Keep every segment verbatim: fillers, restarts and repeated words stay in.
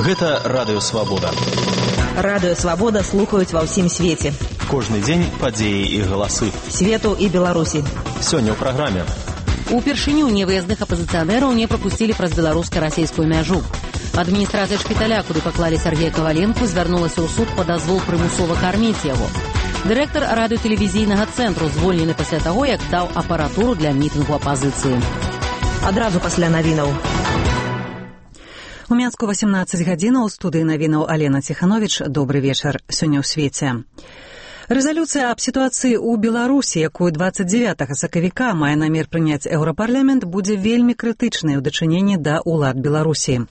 Гэта Радыё Свабода. Радыё Свабода слухаюць ва ўсім свеце. Кожны дзень падзеі і галасы. Свету і Беларусі. Сёння ў праграме. Упершыню невыязных апазіцыянераў не прапусцілі праз беларуска-расійскую мяжу. Адміністрацыя шпіталя, куды паклалі Сергея Каваленку, звярнулася ў суд па дазвол прымусова карміць яго. Дырэктар радыётэлевізійнага цэнтру звольнены пасля таго, як даў апаратуру для мітынгу апазіцыі. Адразу пасля навінаў. У Мінску васемнаццаць гадзінаў, у студыі навінаў Алена Ціхановіч. Добры вечар. Сёння ў свеце. Рэзалюцыя аб сітуацыі ў Беларусі, якую дваццаць дзевятага сакавіка мае намер прыняць Еўрапарламент, будзе вельмі крытычнай у дачыненні да ўлад Беларусі.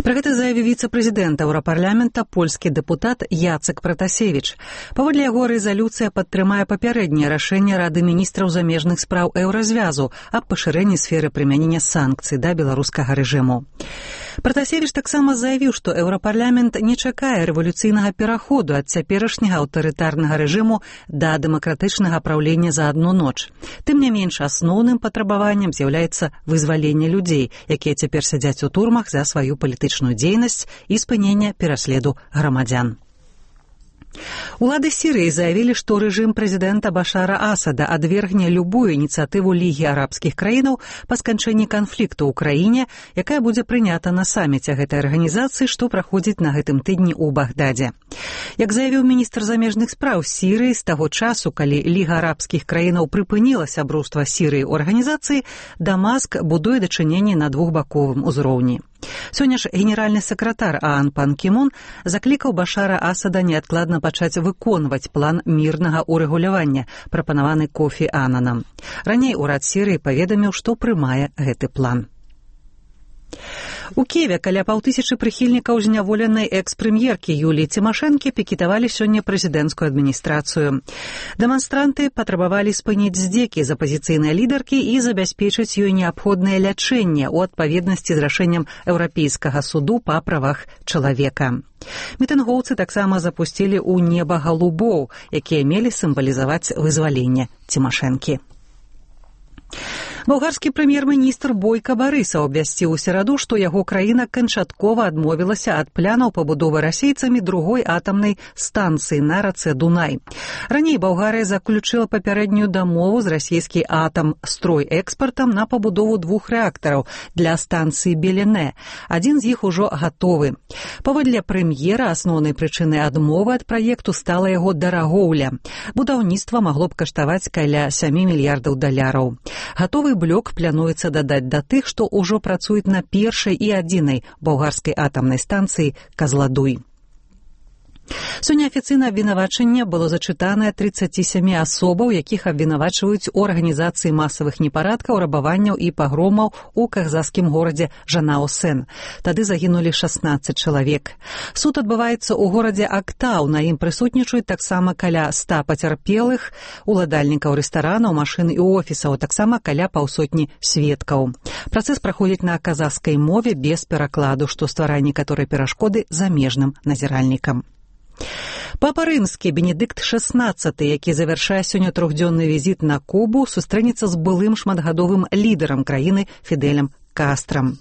Пра гэта заявіў віцэ-прэзідэнт Еўрапарламента, польскі дэпутат Яцек Пратасевіч. Паводле яго, рэзалюцыя падтрымае папярэдняе рашэнне Рады міністраў замежных спраў Еўразвязу аб пашырэнні сферы прымянення санкцый да беларускага рэжыму. Пратасевіч таксама заявіў, што Еўрапарламент не чакае рэвалюцыйнага пераходу ад цяперашняга аўтарытарнага рэжыму да дэмакратычнага праўлення за адну ноч. Тым не менш, асноўным патрабаваннем з'яўляецца вызваленне людзей, якія цяпер сядзяць у турмах за сваю палітычную дзейнасць і спынення пераследу грамадзян. Улады Сірыі заявілі, што рэжым прэзідэнта Башара Асада адвергне любую ініцыятыву Лігі арабскіх краінаў па сканчэнні канфлікту ў краіне, якая будзе прынята на саміце гэтай арганізацыі, што праходзіць на гэтым тыдні ў Багдадзе. Як заявіў міністр замежных спраў Сірыі, з таго часу, калі Ліга арабскіх краінаў прыпыніла сяброўства Сірыі ў арганізацыі, Дамаск будуе дачыненні на двухбаковым узроўні. Сёння ж генеральны сакратар ААН Пан Кі Мун заклікаў Башара Асада неадкладна пачаць выконваць план мірнага ўрэгулявання, прапанаваны Кофі Ананам. Раней урад Сірыі паведаміў, што прымае гэты план. У Киеве каля паўтысячы прыхільнікаў зняволенай экс-прэм'еркі Юліі Цімашэнкі пікетавалі сёння прэзідэнцкую адміністрацыю. Дэманстранты патрабавалі спыніць здзекі з апазіцыйнай лідаркі і забяспечыць ёй неабходнае лячэнне ў адпаведнасці з рашэннем Еўрапейскага суду па правах чалавека. Мітынгоўцы таксама запусцілі ў неба галубоў, якія мелі сімвалізаваць вызваленне Цімашэнкі. Балгарскі прэм'ер-міністр Бойка Барысаў абвясціў у сераду, што яго краіна канчаткова адмовілася ад планаў пабудовы расейцамі другой атамнай станцыі на рацэ Дунай. Раней Балгарыя заключыла папярэднюю дамову з расійскі атам стройэкспартам на пабудову двух рэактараў для станцыі Белене. Адзін з іх ужо гатовы. Паводле прэм'ера, асноўнай прычынай адмовы ад праекту стала яго дарагоўля. Будаўніцтва магло б каштаваць каля сямі мільярдаў даляраў. Гатовы блок плануецца дадаць да тых, што ўжо працуюць на першай і адзінай балгарскай атамнай станцыі Казладуй. Сёння афіцыйна абвінавачанне было зачытанае трыццаці сямі асобаў, якіх абвінавачваюць у арганізацыі масавых непарадкаў, рабаванняў і пагромаў у казахскім горадзе Жанао-Сен. Тады загінулі шаснаццаць чалавек. Суд адбываецца ў горадзе Актау, на ім прысутнічаюць таксама каля ста пацярпелых, уладальнікаў рэстаранаў, машын і офісаў, таксама каля паўсотні сведкаў. Працэс праходзіць на казахскай мове без перакладу, што стварае некаторыя перашкоды замежным назіральнікам. Папа рымскі Бенедыкт шаснаццаты, які завяршае сёння трохдзённы візіт на Кубу, сустрэнецца з былым шматгадовым лідарам краіны Фідэлем Кастрам.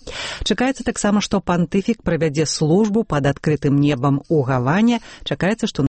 Чакаецца таксама, што пантыфік правядзе службу пад адкрытым небам у Гаване. Чакаецца, што